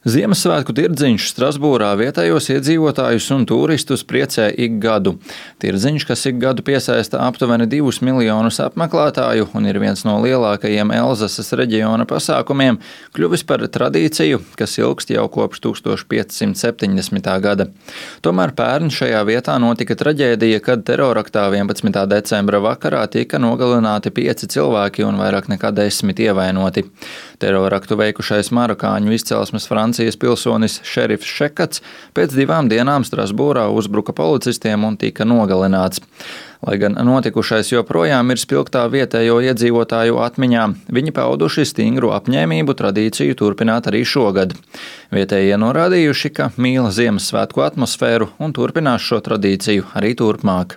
Ziemassvētku tirdziņš Strasbūrā vietējos iedzīvotājus un turistus priecē ik gadu. Tirdziņš, kas ik gadu piesaista aptuveni 2 miljonus apmeklētāju un ir viens no lielākajiem Elzases reģiona pasākumiem, kļuvis par tradīciju, kas ilgst jau kopš 1570. gada. Tomēr pērn šajā vietā notika traģēdija, kad teroraktā 11. decembra vakarā tika nogalināti 5 cilvēki un vairāk nekā 10 ievainoti. Teroraktu veikušais marokāņu izcelsmes Francijas pilsonis šerifs Šekats pēc 2 dienām Strasbūrā uzbruka policistiem un tika nogalināts. Lai gan notikušais joprojām ir spilgtā vietējo iedzīvotāju atmiņā, viņi pauduši stingru apņēmību tradīciju turpināt arī šogad. Vietējie norādījuši, ka mīl Ziemassvētku atmosfēru un turpinās šo tradīciju arī turpmāk.